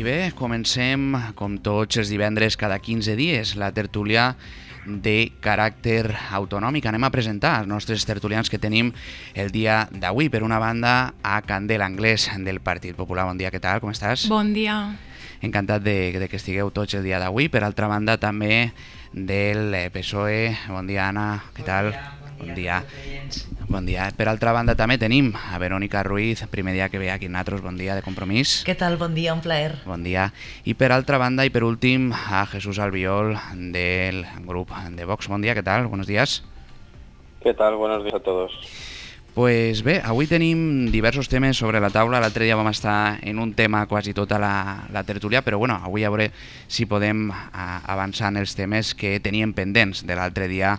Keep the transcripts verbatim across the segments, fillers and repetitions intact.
bé, comencem, com tots els divendres cada quinze dies, la tertúlia de caràcter autonòmic. Anem a presentar els nostres tertulians que tenim el dia d'avui. Per una banda, a Candel Anglès, del Partit Popular. Bon dia, què tal? Com estàs? Bon dia. Encantat de, de que estigueu tots el dia d'avui. Per altra banda, també del P S O E. Bon dia, Anna. Què tal? Bon dia. Bon dia. Per altra banda també tenim a Verònica Ruiz, primer dia que ve aquí amb nosaltres. Bon dia, de Compromís. Què tal? Bon dia, un plaer. Bon dia. I per altra banda i per últim a Jesús Albiol del grup de Vox. Bon dia, què tal? Buenos días. ¿Qué tal? Buenos días a todos. Pues bé, avui tenim diversos temes sobre la taula. L'altre dia vam estar en un tema quasi tota la, la tertúlia, però bueno, avui a veure si podem a, avançar en els temes que teníem pendents de l'altre dia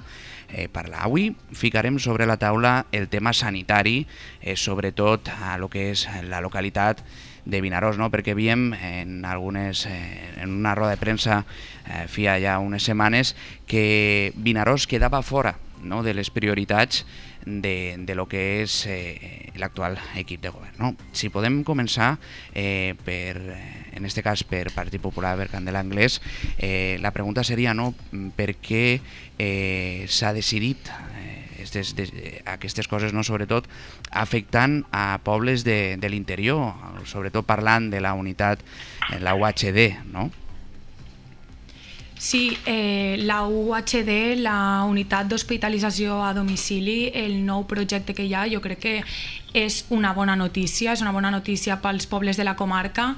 eh, parlar. Avui ficarem sobre la taula el tema sanitari, eh, sobretot a lo que és la localitat de Vinaròs, no? Perquè havíem en algunes eh, en una roda de premsa eh, fia ja unes setmanes que Vinaròs quedava fora, no?, de les prioritats de, de lo que és eh, l'actual equip de govern, no? Si podem començar eh, per, en este cas per Partit Popular, per Candel Anglès, eh, la pregunta seria, no?, per què eh, s'ha decidit eh, estes, de, aquestes coses, no?, sobretot afectant a pobles de, de l'interior, sobretot parlant de la unitat, la U H D, no? Sí, eh, la U H D, la unitat d'hospitalització a domicili, el nou projecte que hi ha, jo crec que és una bona notícia, és una bona notícia pels pobles de la comarca,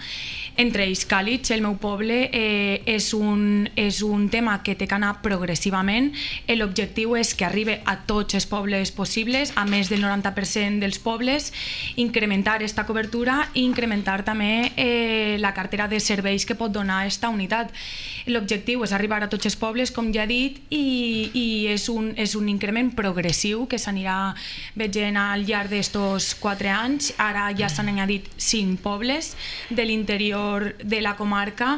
entre ells Càlig, el meu poble. Eh, és, un, és un tema que té que anar progressivament. L'objectiu és que arribi a tots els pobles possibles, a més del noranta per cent dels pobles, incrementar aquesta cobertura i incrementar també eh, la cartera de serveis que pot donar aquesta unitat. L'objectiu és arribar a tots els pobles, com ja he dit, i, i és, un, és un increment progressiu que s'anirà veient al llarg d'estos quatre anys. Ara ja s'han añadit cinc pobles de l'interior de la comarca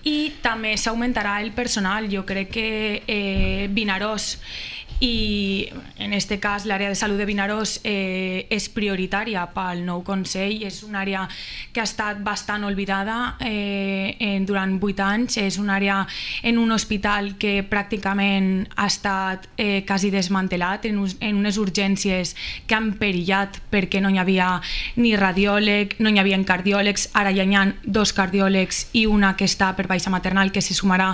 i també s'augmentarà el personal. Jo crec que eh, Vinaròs i en este cas l'àrea de salut de Vinaròs eh, és prioritària pel nou Consell. És una àrea que ha estat bastant oblidada eh, en, durant vuit anys. És una àrea en un hospital que pràcticament ha estat eh, quasi desmantelat, en, en unes urgències que han perillat perquè no hi havia ni radiòleg, no hi havia cardiòlegs. Ara ja hi ha dos cardiòlegs i una que està per baixa maternal, que se sumarà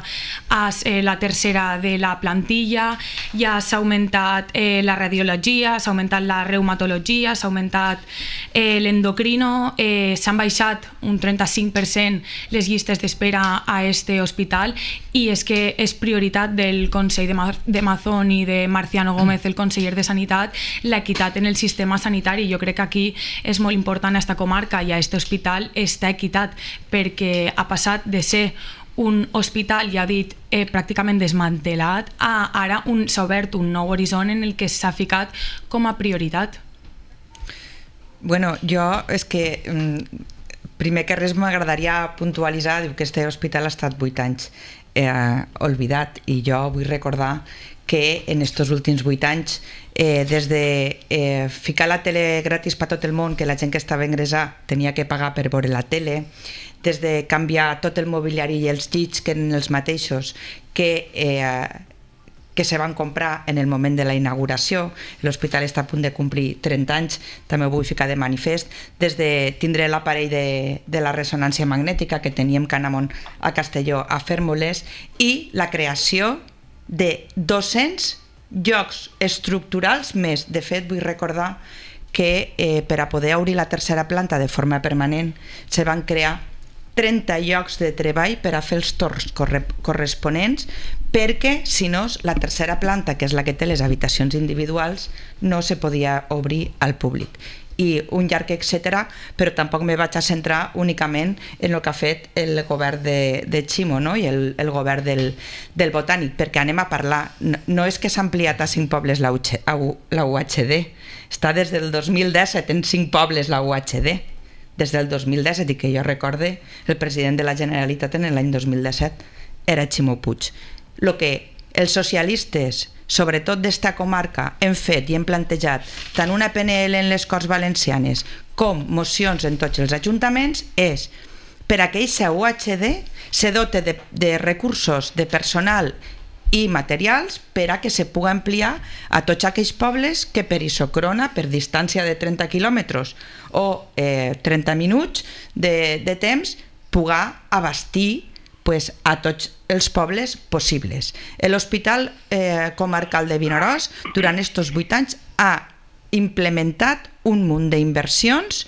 a eh, la tercera de la plantilla. Ja s'ha augmentat eh, la radiologia, s'ha augmentat la reumatologia, s'ha augmentat eh, l'endocrino, eh, s'han baixat un trenta-cinc per cent les llistes d'espera a este hospital, i és que és prioritat del Consell de, Ma de Mazón i de Marciano Gómez, el conseller de Sanitat, l'equitat en el sistema sanitari. Jo crec que aquí és molt important a esta comarca i a este hospital esta equitat, perquè ha passat de ser un hospital, ja he dit, eh, pràcticament desmantelat, a ara s'ha obert un nou horitzó en el que s'ha ficat com a prioritat. Bueno, jo és que primer que res m'agradaria puntualitzar que este hospital ha estat vuit anys eh, oblidat, i jo vull recordar que en estos últims vuit anys, eh, des de eh, ficar la tele gratis per tot el món, que la gent que estava ingressada tenia que pagar per veure la tele, des de canviar tot el mobiliari i els llits, que eren els mateixos que, eh, que se van comprar en el moment de la inauguració. L'hospital està a punt de complir trenta anys, també ho vull ficar de manifest, des de tindre l'aparell de, de la ressonància magnètica que teníem que anar a Castelló a fer-moles, i la creació de dos-cents llocs estructurals més. De fet, vull recordar que eh, per a poder obrir la tercera planta de forma permanent se van crear trenta llocs de treball per a fer els torns corresponents, perquè si no la tercera planta, que és la que té les habitacions individuals, no se podia obrir al públic. I un llarg etcètera, però tampoc me vaig a centrar únicament en el que ha fet el govern de, de Ximo, no? I el, el govern del, del Botànic, perquè anem a parlar, no, no és que s'ha ampliat a cinc pobles la, la U H D, està des del dos mil disset en cinc pobles la U H D, des del dos mil disset, i que jo recorde el president de la Generalitat en l'any dos mil disset era Ximo Puig. El que els socialistes, sobretot d'esta comarca, hem fet i hem plantejat tant una P N L en les Corts Valencianes com mocions en tots els ajuntaments és per a que aquesta U H D se dote de, de recursos de personal i materials per a que se pugui ampliar a tots aquells pobles que per isocrona, per distància de trenta quilòmetres o eh, trenta minuts de, de temps, pugui abastir pues, a tots els pobles possibles. L'Hospital eh, Comarcal de Vinaròs durant aquests vuit anys ha implementat un munt d'inversions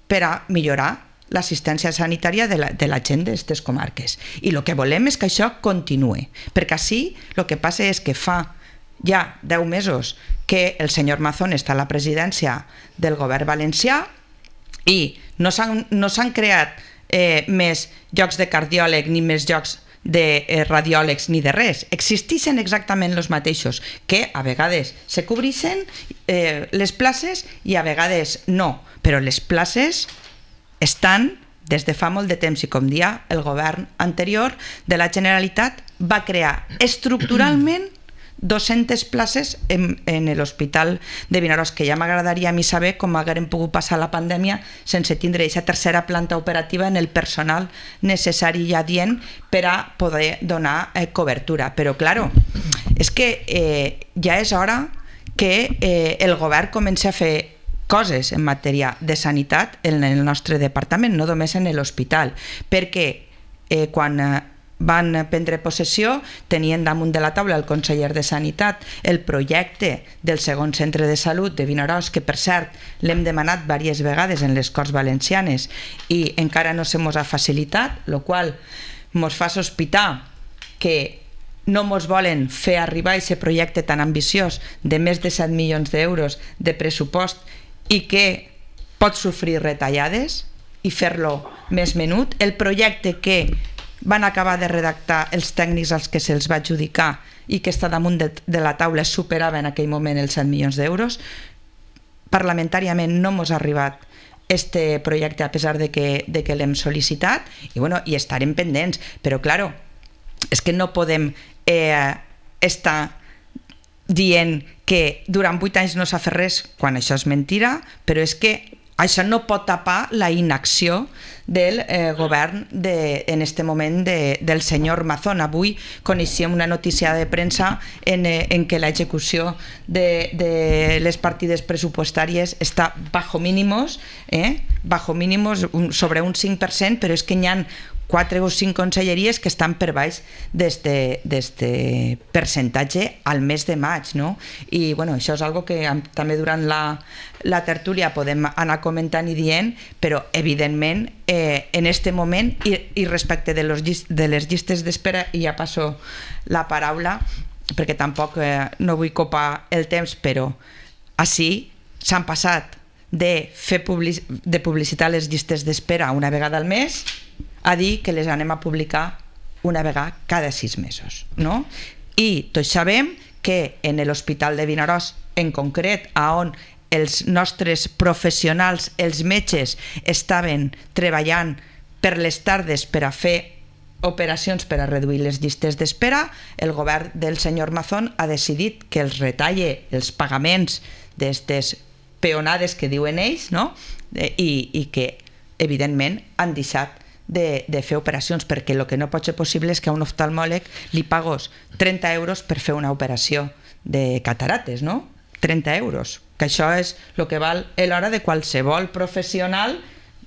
per a millorar l'assistència sanitària de la, de la gent d'aquestes comarques. I el que volem és que això continuï, perquè així el que passa és que fa ja deu mesos que el senyor Mazón està a la presidència del govern valencià i no s'han no s'han creat eh, més llocs de cardiòleg ni més llocs de eh, radiòlegs ni de res, existeixen exactament els mateixos, que a vegades se cobreixen eh, les places i a vegades no, però les places estan des de fa molt de temps i com dia el govern anterior de la Generalitat va crear estructuralment dues-centes places en, en l'Hospital de Vinaròs, que ja m'agradaria a mi saber com haguem pogut passar la pandèmia sense tindre aquesta tercera planta operativa en el personal necessari i adient per a poder donar eh, cobertura. Però, claro, és que eh, ja és hora que eh, el govern comenci a fer coses en matèria de sanitat en el nostre departament, no només en l'hospital, perquè eh, quan eh, van prendre possessió tenien damunt de la taula el conseller de Sanitat el projecte del segon centre de salut de Vinaròs, que per cert l'hem demanat diverses vegades en les Corts Valencianes i encara no se mos ha facilitat, el qual mos fa sospitar que no mos volen fer arribar aquest projecte tan ambiciós de més de set milions d'euros de pressupost i que pot sofrir retallades i fer-lo més menut. El projecte que van acabar de redactar els tècnics als que se'ls va adjudicar i que està damunt de, de la taula superava en aquell moment els set milions d'euros. Parlamentàriament no mos ha arribat este projecte a pesar de que, de que l'hem sol·licitat i, bueno, i estarem pendents, però claro, és que no podem eh, estar dient que durant vuit anys no s'ha fet res quan això és mentira, però és que això no pot tapar la inacció del eh, govern de, en este moment de, del senyor Mazón. Avui coneixíem una notícia de premsa en, eh, en què l'execució de, de les partides pressupostàries està bajo mínimos, eh? bajo mínimos un, sobre un cinc per cent, però és que n'hi ha quatre o cinc conselleries que estan per baix d'este percentatge al mes de maig, no? I bueno, això és algo que també durant la, la tertúlia podem anar comentant i dient, però evidentment eh, en este moment i, i respecte de, los, de les llistes d'espera, i ja passo la paraula perquè tampoc eh, no vull copar el temps, però així s'han passat de fer public, de publicitar les llistes d'espera una vegada al mes a dir que les anem a publicar una vegada cada sis mesos, no? I tots sabem que en l'Hospital de Vinaròs, en concret, a on els nostres professionals, els metges, estaven treballant per les tardes per a fer operacions per a reduir les llistes d'espera, el govern del senyor Mazón ha decidit que els retalle els pagaments d'aquestes peonades que diuen ells, no? I, i que evidentment han deixat De, de fer operacions, perquè el que no pot ser possible és que a un oftalmòleg li pagos trenta euros per fer una operació de catarates, no? trenta euros, que això és el que val a l'hora de qualsevol professional,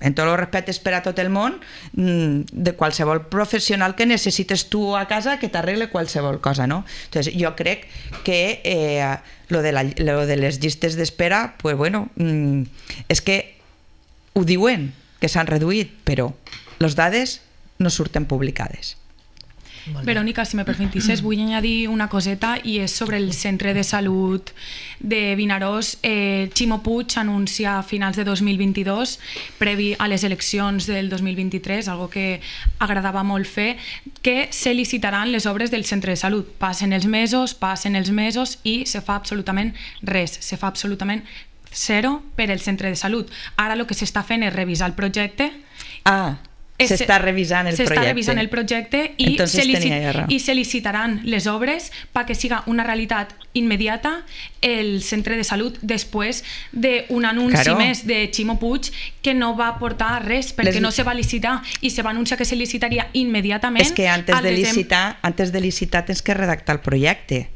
en tots els respectes per a tot el món, de qualsevol professional que necessites tu a casa que t'arregle qualsevol cosa, no? Entonces, jo crec que eh, lo, de la, lo de les llistes d'espera, pues bueno, mm, és que ho diuen, que s'han reduït, però les dades no surten publicades. Verònica, si me permetisses, vull añadir una coseta i és sobre el centre de salut de Vinaròs. Eh, Ximo Puig anuncia a finals de dos mil vint-i-dos, previ a les eleccions del dos mil vint-i-tres, algo que agradava molt fer, que se licitaran les obres del centre de salut. Passen els mesos, passen els mesos i se fa absolutament res, se fa absolutament zero per el centre de salut. Ara el que s'està fent és revisar el projecte. Ah, se està revisant el se projecte. Se està revisant el projecte i Entonces se, licit tenia i se licitaran les obres perquè siga una realitat immediata el centre de salut després d'un anunci claro. més de Ximo Puig que no va portar res perquè les... no se va licitar i se va anunciar que se licitaria immediatament. És que antes de licitar, antes de licitar tens que redactar el projecte.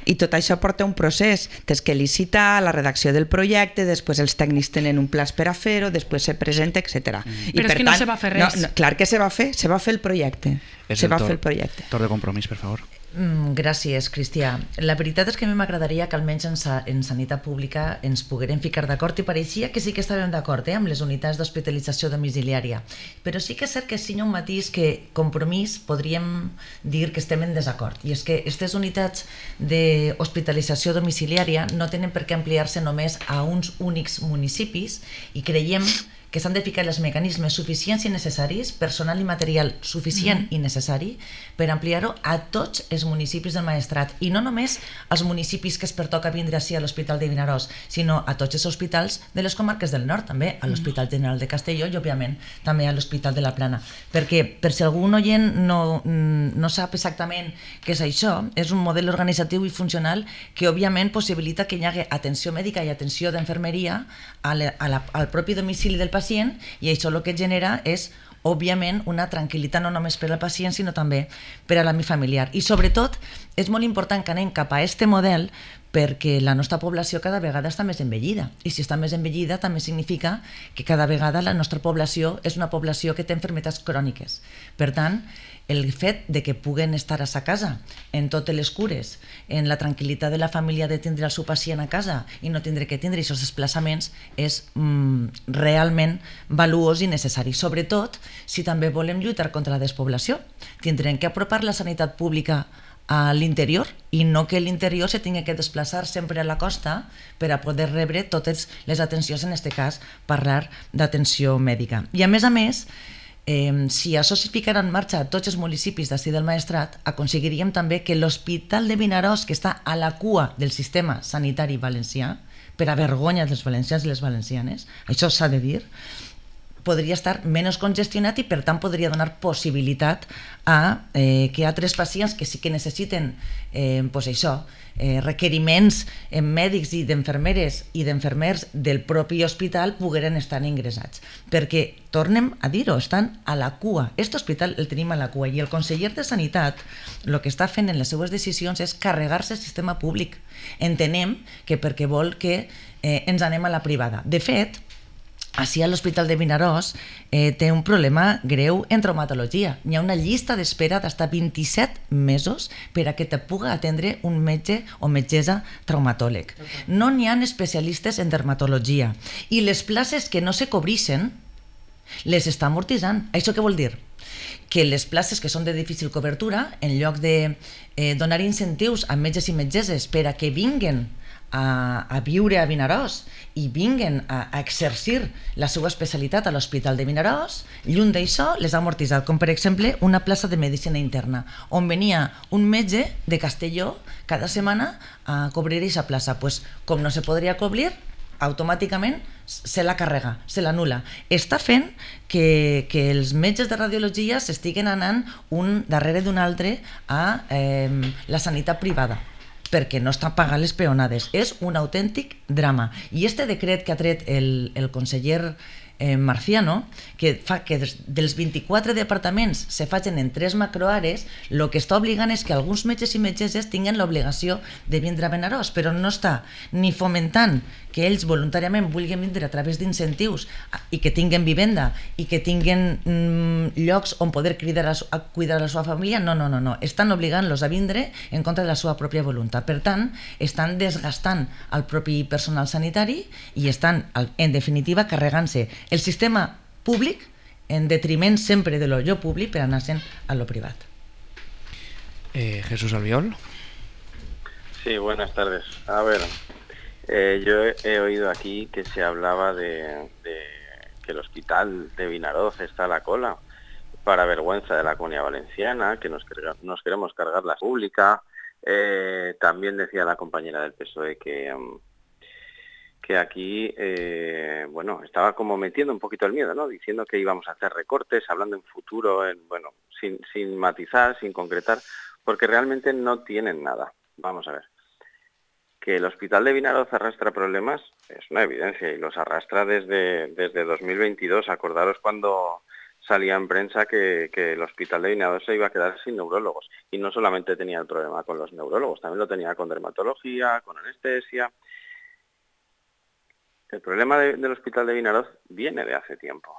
I tot això porta un procés. Tens que licitar la redacció del projecte, després els tècnics tenen un pla per a fer-ho, després se presenta, etcètera. Mm. Però és que tant, no se va fer res. No, no, clar que se va fer, se va fer el projecte. És se el va tor, fer el projecte. Torn de compromís, per favor. Mm, gràcies, Cristià. La veritat és que a mi m'agradaria que almenys en, sa en sanitat pública ens poguérem ficar d'acord i pareixia que sí que estàvem d'acord eh, amb les unitats d'hospitalització domiciliària. Però sí que és cert que sí un matís que compromís podríem dir que estem en desacord. I és que aquestes unitats d'hospitalització domiciliària no tenen per què ampliar-se només a uns únics municipis i creiem que s'han de ficar els mecanismes suficients i necessaris, personal i material suficient mm. i necessari, per ampliar-ho a tots els municipis del Maestrat, i no només als municipis que es pertoca vindre així a l'Hospital de Vinaròs, sinó a tots els hospitals de les comarques del nord, també a l'Hospital General de Castelló i, òbviament, també a l'Hospital de la Plana. Perquè, per si algun oient no, no sap exactament què és això, és un model organitzatiu i funcional que, òbviament, possibilita que hi hagi atenció mèdica i atenció d'enfermeria al propi domicili del pacient, i això el que genera és, òbviament, una tranquil·litat no només per al pacient, sinó també per a l'àmbit familiar. I, sobretot, és molt important que anem cap a aquest model perquè la nostra població cada vegada està més envellida. I si està més envellida també significa que cada vegada la nostra població és una població que té malalties cròniques. Per tant, el fet de que puguen estar a sa casa, en totes les cures, en la tranquil·litat de la família de tindre el seu pacient a casa i no tindre que tindre aquests desplaçaments és mm, realment valuós i necessari. Sobretot, si també volem lluitar contra la despoblació, tindrem que apropar la sanitat pública a l'interior i no que l'interior se tingui que desplaçar sempre a la costa per a poder rebre totes les atencions, en aquest cas parlar d'atenció mèdica. I a més a més, Eh, si això es ficarà en marxa a tots els municipis d'ací del Maestrat, aconseguiríem també que l'Hospital de Vinaròs, que està a la cua del sistema sanitari valencià, per a vergonya dels valencians i les valencianes, això s'ha de dir, podria estar menys congestionat i per tant podria donar possibilitat a eh, que altres pacients que sí que necessiten eh, pues això, eh, requeriments eh, mèdics i d'enfermeres i d'enfermers del propi hospital pogueren estar ingressats. Perquè, tornem a dir-ho, estan a la cua. Aquest hospital el tenim a la cua i el conseller de Sanitat el que està fent en les seues decisions és carregar-se el sistema públic. Entenem que perquè vol que eh, ens anem a la privada. De fet, així a l'Hospital de Vinaròs eh, té un problema greu en traumatologia. Hi ha una llista d'espera d'hasta vint-i-set mesos per a que te puga atendre un metge o metgessa traumatòleg. No n'hi ha especialistes en dermatologia i les places que no se cobreixen les està amortitzant. Això què vol dir? Que les places que són de difícil cobertura, en lloc de eh, donar incentius a metges i metgesses per a que vinguen A, a viure a Vinaròs i vinguen a, a exercir la seva especialitat a l'Hospital de Vinaròs, lluny d'això les ha amortitzat, com per exemple una plaça de medicina interna, on venia un metge de Castelló cada setmana a cobrir aquesta plaça. Pues, com no se podria cobrir, automàticament se la carrega, se l'anul·la. Està fent que, que els metges de radiologia s'estiguen anant un darrere d'un altre a eh, la sanitat privada, perquè no estan pagant les peonades. És un autèntic drama. I este decret que ha tret el, el conseller eh, Marciano, que fa que des, dels vint-i-quatre departaments se facin en tres macroares, el que està obligant és que alguns metges i metgesses tinguin l'obligació de vindre a Vinaròs, però no està ni fomentant que ells voluntàriament vulguin vindre a través d'incentius i que tinguen vivenda i que tinguen mm, llocs on poder cridar a, a cuidar la seva família. No, no, no, no. Estan obligant-los a vindre en contra de la seva pròpia voluntat. Per tant, estan desgastant el propi personal sanitari i estan, en definitiva, carregant-se el sistema públic en detriment sempre de lo públic per anar-se'n a lo privat. Eh, Jesús Albiol. Sí, buenas tardes. A ver, eh, yo he, he oído aquí que se hablaba de, de que el hospital de Vinaròs está a la cola, para vergüenza de la Comunidad Valenciana, que nos, nos queremos cargar la pública. Eh, también decía la compañera del P S O E que, um, que aquí, eh, bueno, estaba como metiendo un poquito el miedo, ¿no? Diciendo que íbamos a hacer recortes, hablando en futuro, en, bueno, sin, sin matizar, sin concretar, porque realmente no tienen nada. Vamos a ver. Que el Hospital de Vinaroz arrastra problemas es una evidencia y los arrastra desde, desde dos mil veintidós. Acordaros cuando salía en prensa que, que el Hospital de Vinaroz se iba a quedar sin neurólogos. Y no solamente tenía el problema con los neurólogos, también lo tenía con dermatología, con anestesia. El problema de, del Hospital de Vinaroz viene de hace tiempo.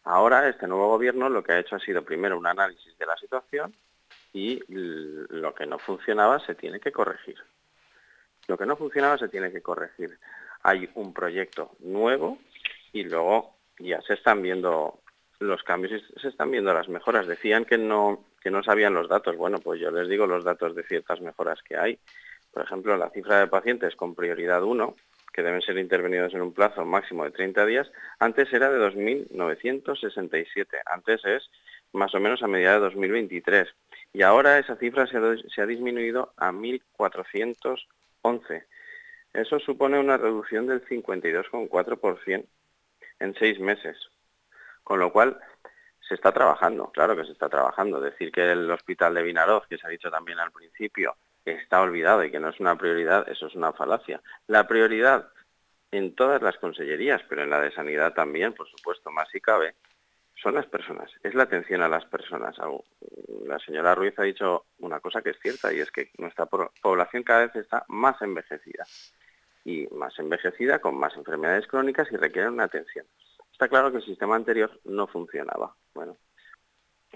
Ahora este nuevo gobierno lo que ha hecho ha sido primero un análisis de la situación y lo que no funcionaba se tiene que corregir. Lo que no funcionaba se tiene que corregir. Hay un proyecto nuevo y luego ya se están viendo los cambios y se están viendo las mejoras. Decían que no, que no sabían los datos. Bueno, pues yo les digo los datos de ciertas mejoras que hay. Por ejemplo, la cifra de pacientes con prioridad uno, que deben ser intervenidos en un plazo máximo de treinta días, antes era de dos mil novecientos sesenta y siete. Antes es más o menos a mediados de dos mil veintitrés. Y ahora esa cifra se ha, se ha disminuido a mil cuatrocientos once. Eso supone una reducción del cincuenta y dos coma cuatro por ciento en seis meses. Con lo cual, se está trabajando, claro que se está trabajando. Decir que el Hospital de Vinaroz, que se ha dicho también al principio, está olvidado y que no es una prioridad, eso es una falacia. La prioridad en todas las consellerías, pero en la de Sanidad también, por supuesto, más si cabe, son las personas, es la atención a las personas. La señora Ruiz ha dicho una cosa que es cierta y es que nuestra población cada vez está más envejecida y más envejecida con más enfermedades crónicas y requiere una atención. Está claro que el sistema anterior no funcionaba. Bueno,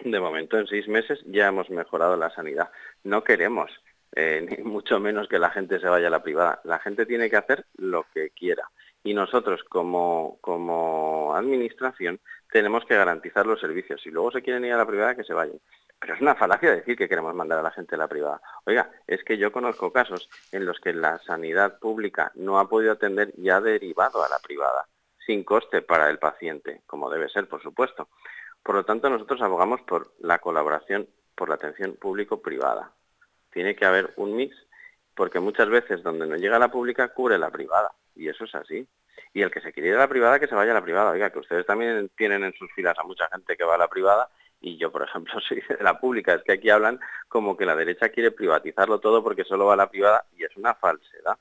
de momento en seis meses ya hemos mejorado la sanidad. No queremos eh, ni mucho menos que la gente se vaya a la privada. La gente tiene que hacer lo que quiera. Y nosotros, como, como administración, tenemos que garantizar los servicios. Si luego se quieren ir a la privada, que se vayan. Pero es una falacia decir que queremos mandar a la gente a la privada. Oiga, es que yo conozco casos en los que la sanidad pública no ha podido atender y ha derivado a la privada, sin coste para el paciente, como debe ser, por supuesto. Por lo tanto, nosotros abogamos por la colaboración, por la atención público-privada. Tiene que haber un mix, porque muchas veces donde no llega la pública, cubre la privada. Y eso es así. Y el que se quiere ir a la privada, que se vaya a la privada. Oiga, que ustedes también tienen en sus filas a mucha gente que va a la privada, y yo, por ejemplo, soy de la pública. Es que aquí hablan como que la derecha quiere privatizarlo todo porque solo va a la privada, y es una falsedad.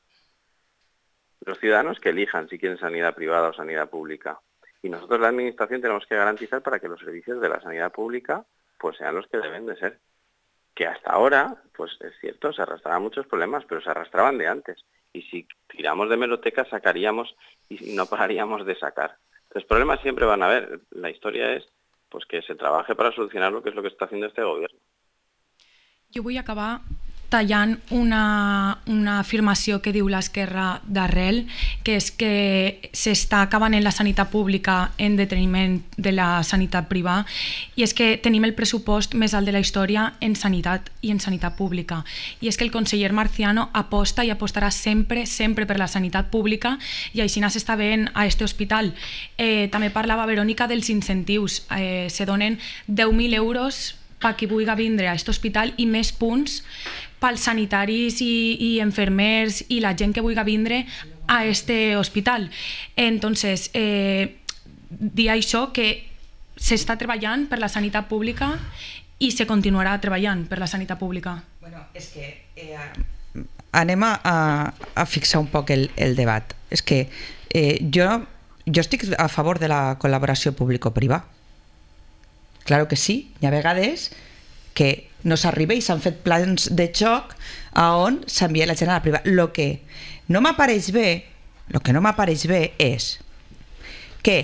Los ciudadanos que elijan si quieren sanidad privada o sanidad pública. Y nosotros, la administración, tenemos que garantizar para que los servicios de la sanidad pública pues sean los que deben de ser. Que hasta ahora, pues es cierto, se arrastraban muchos problemas, pero se arrastraban de antes. Y si tiramos de hemeroteca, sacaríamos y no pararíamos de sacar. Los problemas siempre van a haber. La historia es pues que se trabaje para solucionarlo, que es lo que está haciendo este gobierno. Jo vull acabar tallant una, una afirmació que diu l'Esquerra d'Arrel, que és que s'està acabant en la sanitat pública en deteniment de la sanitat privada, i és que tenim el pressupost més alt de la història en sanitat i en sanitat pública. I és que el conseller Marciano aposta i apostarà sempre, sempre per la sanitat pública, i així s'està veient a este hospital. Eh, també parlava Verònica dels incentius. Eh, se donen deu mil euros per qui vulgui vindre a aquest hospital i més punts pels sanitaris i, i enfermers i la gent que vulgui vindre a este hospital. Entonces, eh, dir això, que s'està treballant per la sanitat pública i se continuarà treballant per la sanitat pública. Bueno, és que eh, anem a, a fixar un poc el, el debat. És que eh, jo, jo estic a favor de la col·laboració público-privada. Claro que sí, hi ha vegades que no s'arriba i s'han fet plans de xoc a on s'envia la gent a la privada. Lo que no m'apareix bé, lo que no m'apareix bé és que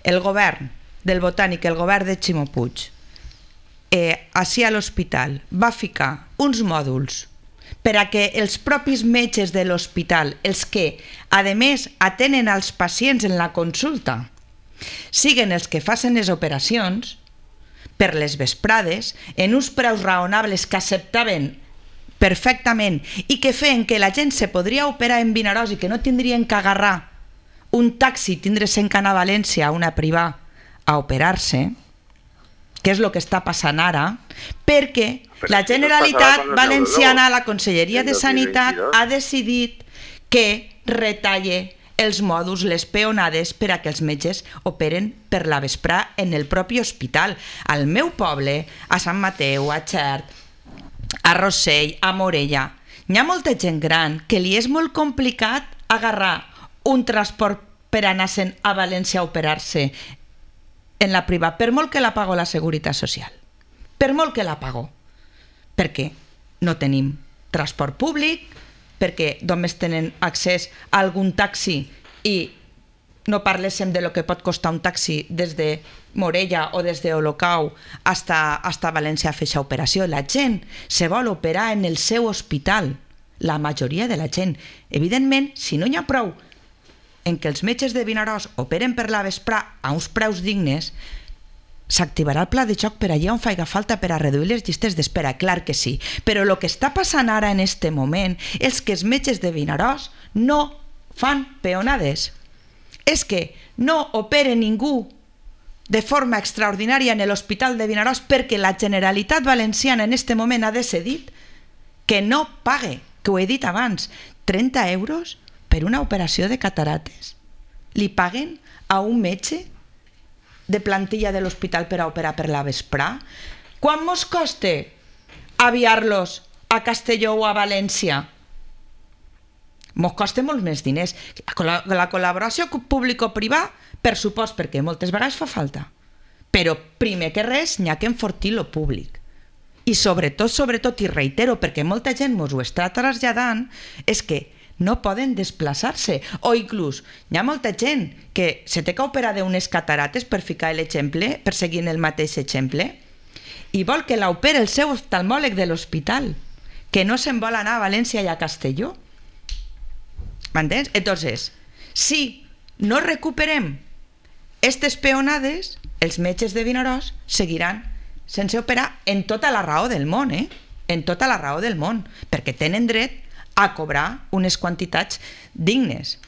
el govern del Botànic, el govern de Ximo Puig, eh, així a l'hospital va ficar uns mòduls per a que els propis metges de l'hospital, els que a més atenen als pacients en la consulta, siguen els que facin les operacions per les vesprades, en uns preus raonables que acceptaven perfectament i que feien que la gent se podria operar en Vinaròs i que no tindrien que agarrar un taxi, tindre-se'n que anar a València a una privada a operar-se, que és el que està passant ara, perquè Però la Generalitat Valenciana, la Conselleria de Sanitat, ha decidit que retalle els mòduls, les peonades per a que els metges operen per la vesprà en el propi hospital. Al meu poble, a Sant Mateu, a Xert, a Rossell, a Morella, hi ha molta gent gran que li és molt complicat agarrar un transport per anar-se'n a València a operar-se en la privada, per molt que la pago la Seguretat Social. Per molt que la pago. Perquè no tenim transport públic, perquè només tenen accés a algun taxi i no parléssim de lo que pot costar un taxi des de Morella o des d'Olocau hasta, hasta València a fer aquesta operació. La gent se vol operar en el seu hospital, la majoria de la gent. Evidentment, si no hi ha prou en què els metges de Vinaròs operen per la vesprà a uns preus dignes, s'activarà el pla de xoc per allà on faiga falta per a reduir les llistes d'espera, clar que sí. Però el que està passant ara en este moment és que els metges de Vinaròs no fan peonades. És que no opera ningú de forma extraordinària en l'Hospital de Vinaròs perquè la Generalitat Valenciana en este moment ha decidit que no pague, que ho he dit abans, trenta euros per una operació de catarates. Li paguen a un metge de plantilla de l'hospital per a operar per la vesprà? Quant mos costa aviar-los a Castelló o a València? Mos costa molts més diners. La, la col·laboració público-privada, per supost, perquè moltes vegades fa falta. Però primer que res n'hi ha que enfortir lo públic. I sobretot, sobretot, i reitero, perquè molta gent mos ho està traslladant, és que no poden desplaçar-se. O inclús, hi ha molta gent que se té que operar d'unes catarates, per ficar l'exemple, per seguir el mateix exemple, i vol que l'opere el seu oftalmòleg de l'hospital, que no se'n vol anar a València i a Castelló. ¿M'entens? Entonces, si no recuperem aquestes peonades, els metges de Vinaròs seguiran sense operar en tota la raó del món, eh? En tota la raó del món, perquè tenen dret a cobrar unes quantitats dignes.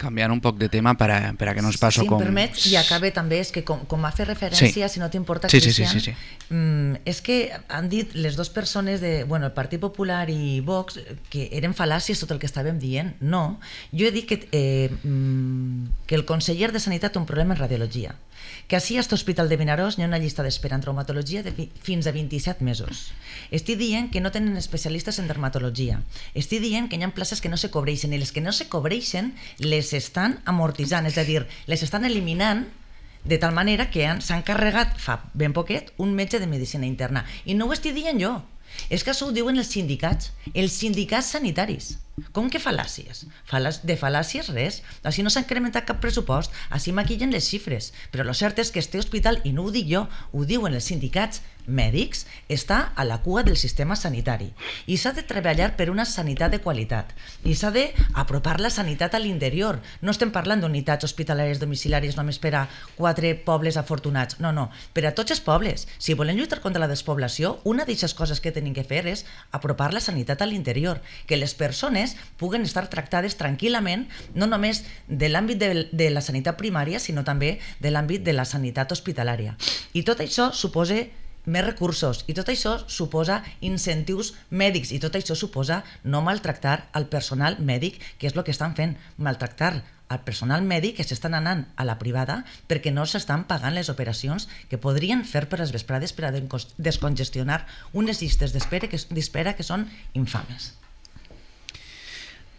Canviant un poc de tema per a, per a que no es passi si com... Si em permets, i acabe també, és que com, com ha fet referència, sí. si no t'importa, sí, Cristian, sí, sí, sí, sí. Mm, és que han dit les dues persones de, bueno, el Partit Popular i Vox que eren fal·làcies tot el que estàvem dient. No, jo he dit que, eh, que el conseller de Sanitat té un problema en radiologia, que així a aquest hospital de Vinaròs hi ha una llista d'espera en traumatologia de fins a vint-i-set mesos. Estic dient que no tenen especialistes en dermatologia. Estic dient que hi ha places que no se cobreixen, i les que no se cobreixen les estan amortitzant, és a dir, les estan eliminant de tal manera que s'han carregat fa ben poquet un metge de medicina interna. I no ho estic dient jo, és que això ho diuen els sindicats, els sindicats sanitaris. Com que fal·làcies? De fal·làcies res. Així no s'ha incrementat cap pressupost, així maquillen les xifres. Però el cert és que este hospital, i no ho dic jo, ho diuen els sindicats mèdics, està a la cua del sistema sanitari. I s'ha de treballar per una sanitat de qualitat. I s'ha d'apropar la sanitat a l'interior. No estem parlant d'unitats hospitalàries domiciliàries només per a quatre pobles afortunats. No, no, per a tots els pobles. Si volem lluitar contra la despoblació, una d'aquestes coses que tenim que fer és apropar la sanitat a l'interior. Que les persones puguen estar tractades tranquil·lament, no només de l'àmbit de, de la sanitat primària, sinó també de l'àmbit de la sanitat hospitalària. I tot això suposa més recursos, i tot això suposa incentius mèdics, i tot això suposa no maltractar el personal mèdic, que és el que estan fent, maltractar el personal mèdic que s'estan anant a la privada perquè no s'estan pagant les operacions que podrien fer per les vesprades per a descongestionar unes llistes d'espera que, d'espera que són infames.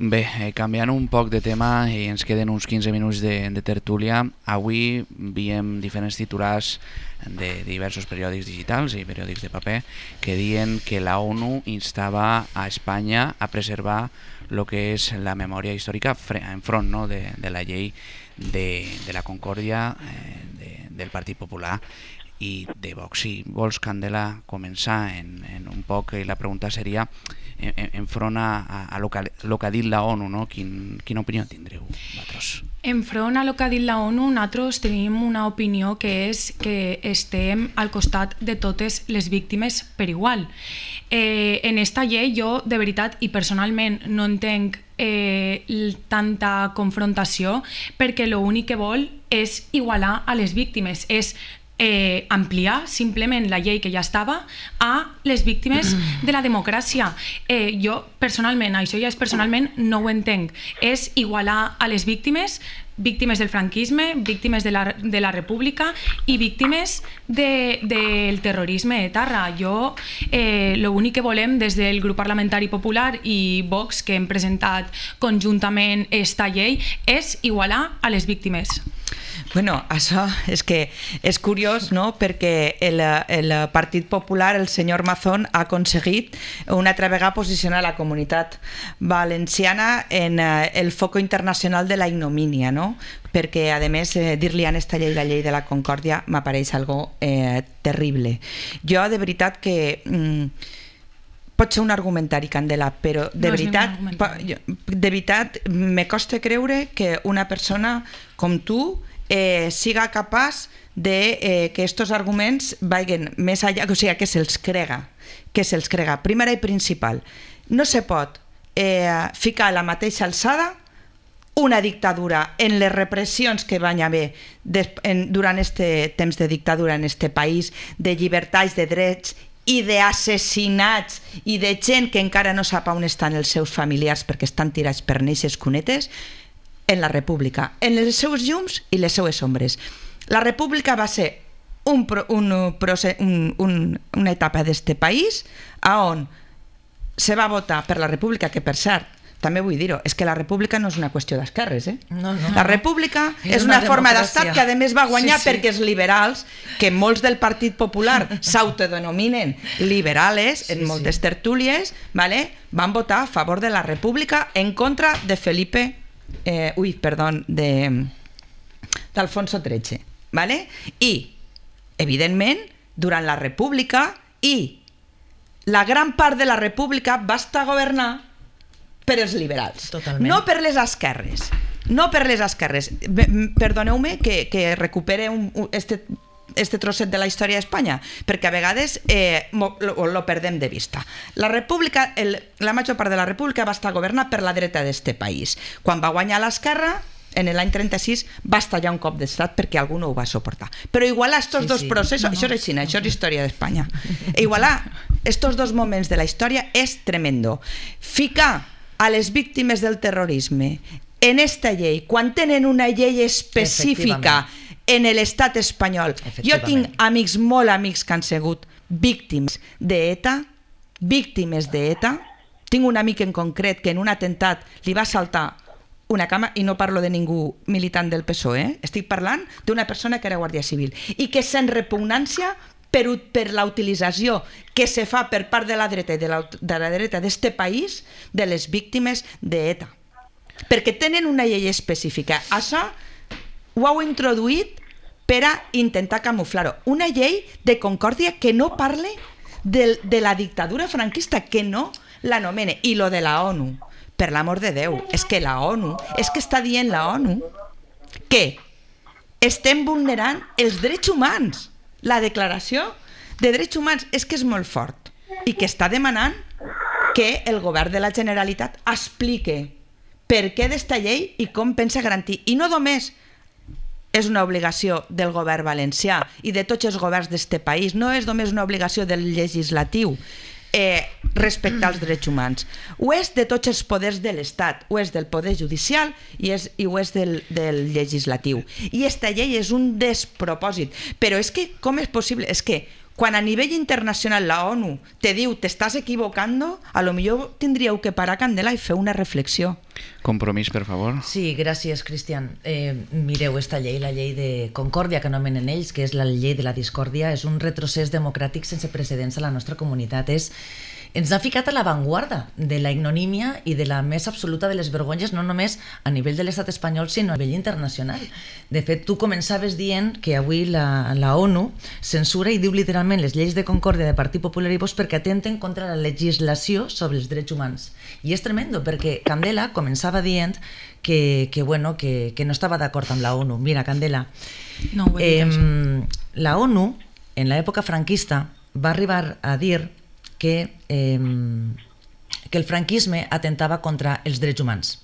Bé, eh, canviant un poc de tema i ens queden uns quinze minuts de, de tertúlia, avui veiem diferents titulars de diversos periòdics digitals i periòdics de paper que diuen que la ONU instava a Espanya a preservar el que és la memòria històrica enfront, no, de, de la llei de, de la Concòrdia eh, de, del Partit Popular i de Vox. Si vols, Candela, començar en, en un poc, i la pregunta seria enfront a, a, a lo que ha dit la ONU, no? Quin, quina opinió tindreu vosaltres? Enfront a lo que ha dit la ONU, nosaltres tenim una opinió que és que estem al costat de totes les víctimes per igual. Eh, en esta llei jo, de veritat, i personalment no entenc eh, tanta confrontació, perquè l'únic que vol és igualar a les víctimes, és eh, ampliar simplement la llei que ja estava a les víctimes de la democràcia. Eh, jo, personalment, això ja és personalment, no ho entenc. És igualar a les víctimes, víctimes del franquisme, víctimes de la, de la república i víctimes de, del terrorisme etarra. Jo, eh, l'únic que volem des del grup parlamentari popular i Vox, que hem presentat conjuntament esta llei, és igualar a les víctimes. Bueno, això és que és curiós, no?, perquè el, el Partit Popular, el senyor Mazón, ha aconseguit una altra vegada posicionar la comunitat valenciana en el foco internacional de la ignomínia, no?, perquè, a més, eh, dir-li a esta llei la llei de la concòrdia m'apareix algo eh, terrible. Jo, de veritat que... Mm, pot ser un argumentari, Candela, però de no veritat, de veritat me costa creure que una persona com tu eh, siga capaç de eh, que estos arguments vagin més allà, o sigui, que se'ls crega, que se'ls crega. Primera i principal, no se pot eh, ficar a la mateixa alçada una dictadura en les repressions que van haver en, durant este temps de dictadura en este país, de llibertats, de drets i d'assassinats i de gent que encara no sap on estan els seus familiars perquè estan tirats per neixes cunetes, en la república, en els seus llums i les seues ombres. La república va ser un, un, un, un, una etapa d'este país on se va votar per la república, que per cert, també vull dir-ho, és que la república no és una qüestió d'esquerres, eh? No, no, la república no. és una, una forma d'estat que a més va guanyar sí, sí. perquè els liberals, que molts del Partit Popular s'autodenominen liberales en sí, moltes sí. tertúlies, ¿vale? Van votar a favor de la república en contra de Felipe eh, ui, perdó, de d'Alfonso tretze, ¿vale? I, evidentment, durant la república i la gran part de la república va estar governada per els liberals, Totalment. no per les esquerres, no per les esquerres. Perdoneu-me que, que recupere un, un, este, este trosset de la història d'Espanya, perquè a vegades eh, lo, lo perdem de vista. La república, el, la major part de la república va estar governada per la dreta d'este país. Quan va guanyar l'esquerra, en l'any trenta-sis, va estallar un cop d'estat perquè algú no ho va suportar. Però igualar estos sí, dos sí. processos, no, no. això és així, això és història d'Espanya. Igualar estos dos moments de la història és tremendo. Ficar a les víctimes del terrorisme en esta llei, quan tenen una llei específica en l'estat espanyol. Jo tinc amics, molt amics que han sigut víctimes d'ETA, víctimes d'ETA. Tinc un amic en concret que en un atemptat li va saltar una cama, i no parlo de ningú militant del P S O E, eh? Estic parlant d'una persona que era guàrdia civil i que sent repugnància per, per la utilització que se fa per part de la dreta i de la, de la dreta d'este país de les víctimes d'ETA. Perquè tenen una llei específica. Això ho heu introduït per a intentar camuflar-ho. Una llei de concòrdia que no parle de, de la dictadura franquista, que no l'anomene. I lo de la ONU, per l'amor de Déu, és que la ONU, és que està dient la ONU que estem vulnerant els drets humans. La declaració de drets humans és que és molt fort i que està demanant que el govern de la Generalitat explique per què d'esta llei i com pensa garantir. I no només és una obligació del govern valencià i de tots els governs d'este país, no és només una obligació del legislatiu eh, respectar els drets humans. Ho és de tots els poders de l'Estat, ho és del poder judicial i, és, i ho és del, del legislatiu. I esta llei és un despropòsit. Però és que, com és possible? És que quan a nivell internacional la ONU te diu t'estàs equivocando, a lo millor tindríeu que parar, Candela, i fer una reflexió. Compromís, per favor. Sí, gràcies, Cristian. Eh, mireu, esta llei, la llei de concòrdia que anomenen ells, que és la llei de la discòrdia, és un retrocés democràtic sense precedents a la nostra comunitat. És ens ha ficat a l'avantguarda de la ignomínia i de la més absoluta de les vergonyes, no només a nivell de l'estat espanyol, sinó a nivell internacional. De fet, tu començaves dient que avui la, la ONU censura i diu literalment les lleis de concòrdia de Partit Popular i Vox perquè atenten contra la legislació sobre els drets humans. I és tremendo, perquè Candela començava dient que, que, bueno, que, que no estava d'acord amb la ONU. Mira, Candela, no, eh, la ONU, en l'època franquista, va arribar a dir que, eh, que el franquisme atentava contra els drets humans.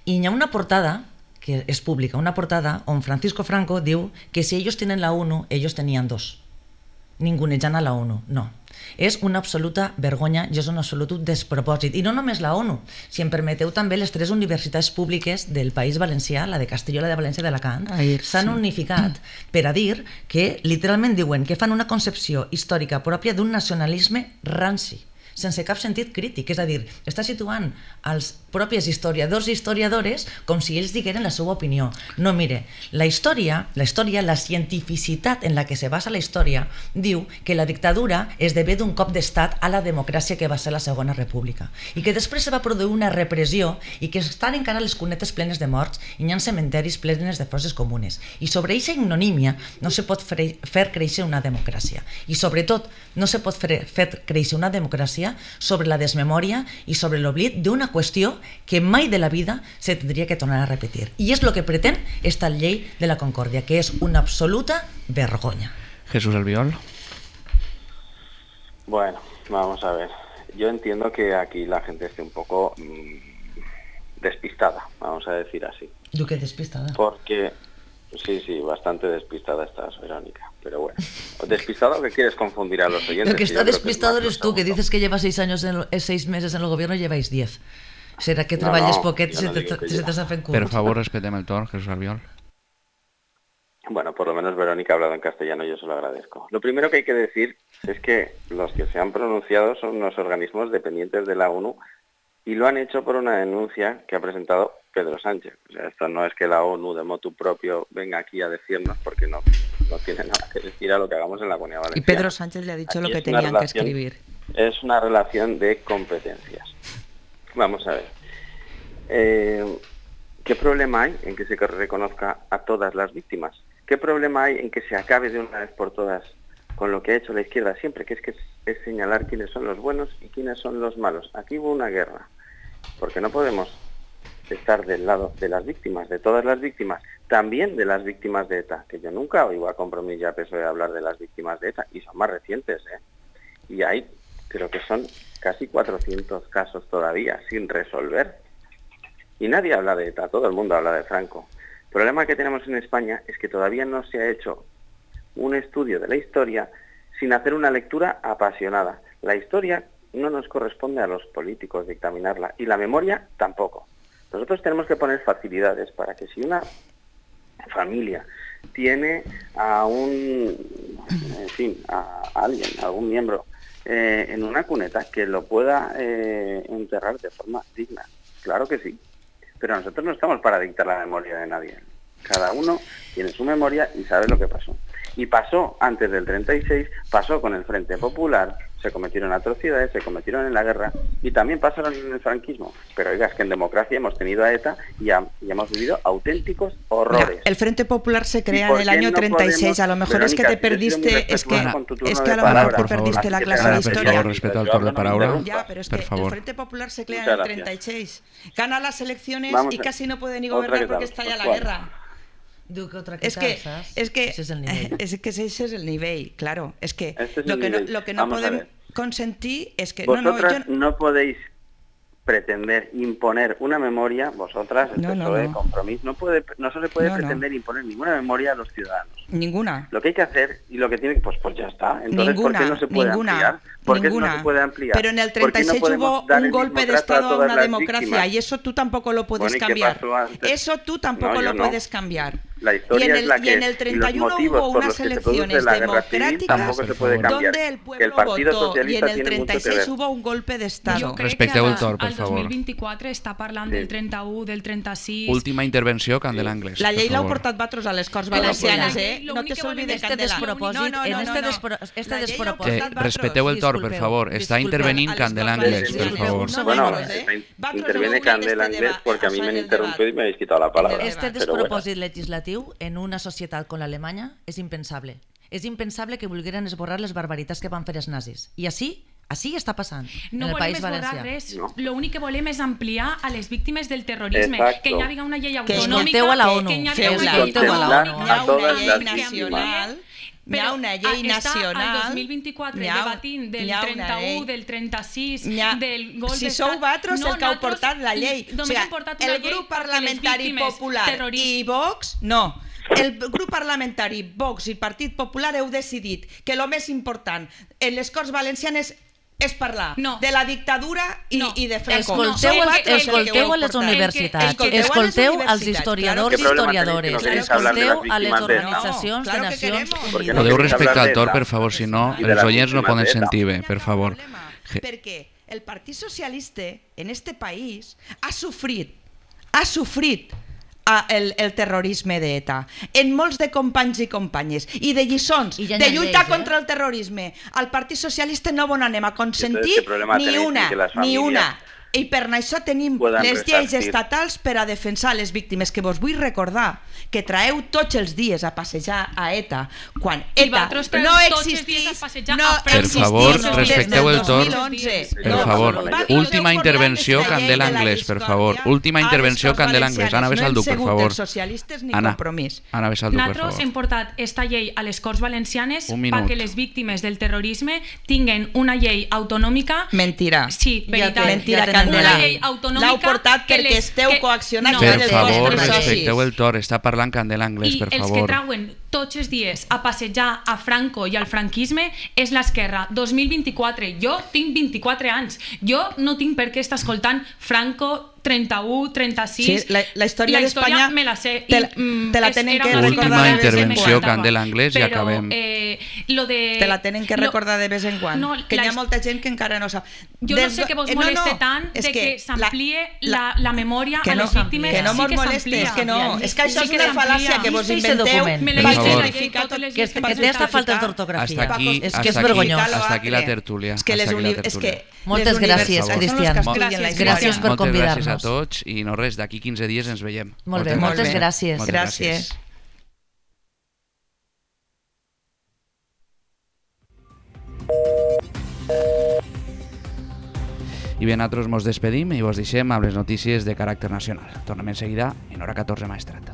I hi ha una portada que que es publica una portada on Francisco Franco diu que si ellos tienen la ONU, ellos tenían dos. Ningunejant a la ONU, no. És una absoluta vergonya i és un absolut despropòsit. I no només la ONU, si em permeteu també les tres universitats públiques del País Valencià, la de Castelló, la de València i d'Alacant, s'han unificat per a dir que literalment diuen que fan una concepció històrica pròpia d'un nacionalisme ranci, sense cap sentit crític, és a dir, està situant els propis historiadors i historiadores com si ells digueren la seva opinió. No, mire, la història, la història, la cientificitat en la que se basa la història, diu que la dictadura esdevé d'un cop d'estat a la democràcia que va ser la Segona República i que després se va produir una repressió i que estan encara les cunetes plenes de morts i hi ha cementeris plenes de fosses comunes. I sobre aquesta ignomínia no se pot fer créixer una democràcia. I sobretot no se pot fer créixer una democràcia sobre la desmemòria i sobre l'oblit d'una qüestió que mai de la vida se tindria que tornar a repetir. I és el que pretén esta llei de la concòrdia, que és una absoluta vergonya. Jesús Albiol. Bueno, vamos a ver. Yo entiendo que aquí la gente esté un poco mmm, despistada, vamos a decir así. ¿Tú qué despistada? Porque, sí, sí, bastante despistada estás, Verónica. Pero bueno, ¿despistada o que quieres confundir a los oyentes? Lo que está despistado eres tú, que dices que llevas seis años, en, seis meses en el gobierno y lleváis diez. Será que treballes no, no, poquet i no se t'està fent curt. Per favor, respetem el torn, Jesús Albiol. Bueno, por lo menos Verónica ha hablado en castellano, yo se lo agradezco. Lo primero que hay que decir es que los que se han pronunciado son unos organismos dependientes de la ONU y lo han hecho por una denuncia que ha presentado Pedro Sánchez. O sea, esto no es que la ONU de motu propio venga aquí a decirnos, porque no, no tiene nada que decir a lo que hagamos en la Comunidad Valenciana. Y Pedro Sánchez le ha dicho aquí lo que tenían relación, que escribir. Es una relación de competencias. Vamos a ver. Eh, ¿Qué problema hay en que se reconozca a todas las víctimas? ¿Qué problema hay en que se acabe de una vez por todas con lo que ha hecho la izquierda siempre, que es que es, es señalar quiénes son los buenos y quiénes son los malos? Aquí hubo una guerra, porque no podemos estar del lado de las víctimas, de todas las víctimas, también de las víctimas de ETA, que yo nunca oigo a Compromís y a P S O E hablar de las víctimas de ETA, y son más recientes, ¿eh? Y hay, creo que son casi cuatrocientos casos todavía sin resolver. Y nadie habla de ETA, todo el mundo habla de Franco. El problema que tenemos en España es que todavía no se ha hecho un estudio de la historia sin hacer una lectura apasionada. La historia no nos corresponde a los políticos dictaminarla, y la memoria tampoco. Nosotros tenemos que poner facilidades para que si una familia tiene a un, en fin, a alguien, a algún miembro eh, en una cuneta, que lo pueda eh, enterrar de forma digna. Claro que sí. Pero nosotros no estamos para dictar la memoria de nadie. Cada uno tiene su memoria y sabe lo que pasó. Y pasó antes del treinta y seis, pasó con el Frente Popular, se cometieron atrocidades, se cometieron en la guerra y también pasaron en el franquismo. Pero oiga, es que en democracia hemos tenido a ETA y, a, y hemos vivido auténticos horrores. Mira, el Frente Popular se crea en el año no treinta y seis, podemos, a lo mejor Verónica, es que te perdiste, es que, es que a lo mejor te perdiste la clase de historia. Per favor, respecte al torn de paraula. Ya, pero es que el Frente Popular se crea en el treinta y seis. Gana las elecciones Vamos y casi no puede ni gobernar porque está ya la guerra. Es que, es que ese es el nivel. Es que ese es el nivel, claro. Es que este es lo, que no, lo que no podemos consentir es que... Vosotras no, no, yo... no podéis pretender imponer una memoria, vosotras, el no, P S O E, no, no. Compromís, no, puede, no se le puede no, pretender no. imponer ninguna memoria a los ciudadanos. Ninguna. Lo que hay que hacer y lo que tiene, pues, pues ya está. Entonces, ninguna, ¿por qué no se puede ninguna, ampliar? ¿Por qué ninguna. no se puede ampliar? Pero en el treinta y seis no hubo un golpe de Estado a una democracia víctimas. Y eso tú tampoco lo puedes bueno, cambiar. Eso tú tampoco no, lo no. puedes cambiar. La historia y en el, es la que, y en el treinta y uno y hubo unas elecciones democráticas se puede donde el pueblo el Partido votó Socialista y en el treinta y seis hubo un golpe de Estado. Respecteu el torn, per al favor. dos mil vint-i-quatre està parlant del trenta-u, del trenta-sis... Última intervenció, Candela Anglès. La llei l'heu portat vosaltres a les Corts Valencianes, eh? No te s'olvide, Candela. No, no, no, este despropòsit... Respecteu el torn, per favor. Està intervenint Candela Anglès, per favor. Bueno, interviene Candela Anglès porque a mí me han interrumpido y me habéis quitado la palabra. Este despropòsit legislatiu en una societat com l'Alemanya és impensable. És impensable que volgueren esborrar les barbaritats que van fer els nazis. I així, així està passant no en el País No Valencià. volem esborrar res, l'únic que volem és ampliar a les víctimes del terrorisme. Exacto. Que hi hagi una llei que autonòmica, escolteu a la ONU. que hi hagi Feu una la llei a la ONU. Hi ha una llei nacional Hi ha una llei està nacional... al dos mil vint-i-quatre ha, debatint del trenta-u, del trenta-sis, ha, del gol si d'estat... sou vosaltres no, el que heu portat la llei. Només o sigui, hem portat una el llei grup perquè les parlamentari víctimes popular terroristes... i Vox, no. El grup parlamentari Vox i Partit Popular heu decidit que el més important en les Corts Valencianes és parlar no. de la dictadura i, no. i de Franco. Escolteu, no, el, escolteu a les universitats, escolteu, escolteu a les als historiadors i claro historiadores, no escolteu a les de... organitzacions no, claro de Nacions Unides. Podeu respectar el torn, per favor, si no, els oients no poden sentir bé, per favor. Perquè el Partit Socialista en este país ha sofrit, ha sofrit El, el terrorisme d'ETA en molts de companys i companyes i de lliçons, I ja de lluitar lleis, contra eh? el terrorisme. Al Partit Socialista no bon anem a consentir ni una, ni una. I per això tenim les lleis estatals per a defensar les víctimes, que vos vull recordar que traeu tots els dies a passejar a ETA quan ETA no existís, no per favor, respecteu el torn. Per favor, última intervenció, Candela Anglès, per favor. Última intervenció, Candela Anglès. Anna Besalduc, per favor. Anna, Anna Besalduc, per favor. Nosaltres hem portat esta llei a les Corts Valencianes perquè les víctimes del terrorisme tinguen una llei autonòmica. Mentira. Sí, veritat. Mentira, una llei autonòmica. L'heu portat perquè esteu coaccionats. Per favor, respecteu el torn. Està parlant Candela Anglès, per favor. I els que trauen tots els dies a passejar a Franco i al franquisme és l'esquerra. dos mil vint-i-quatre. Jo tinc vint-i-quatre anys. Jo no tinc per què estar escoltant Franco trenta-u, trenta-sis... Sí, la, la història d'Espanya me la sé. Te, te la tenen que recordar. Última intervenció, Candela Anglès, i acabem. Eh, lo de... Te la tenen que recordar de vez en quan. No, que hi ha molta gent que encara no sap. Jo no sé que vos moleste tant de que s'amplie la, la memòria a les víctimes. Que no mos moleste, és que no. És que això és una fal·làcia que vos inventeu per justificar tot que té hasta faltes d'ortografia. És que és vergonyós. Hasta aquí la tertúlia. Moltes gràcies, Cristian. Gràcies per convidar-nos. A tots i no res, d'aquí quinze dies ens veiem. Molt bé, moltes, moltes gràcies. Moltes gràcies. I bé, nosaltres mos despedim i vos deixem amb les notícies de caràcter nacional. Tornem en seguida en hora catorze, Maestrat.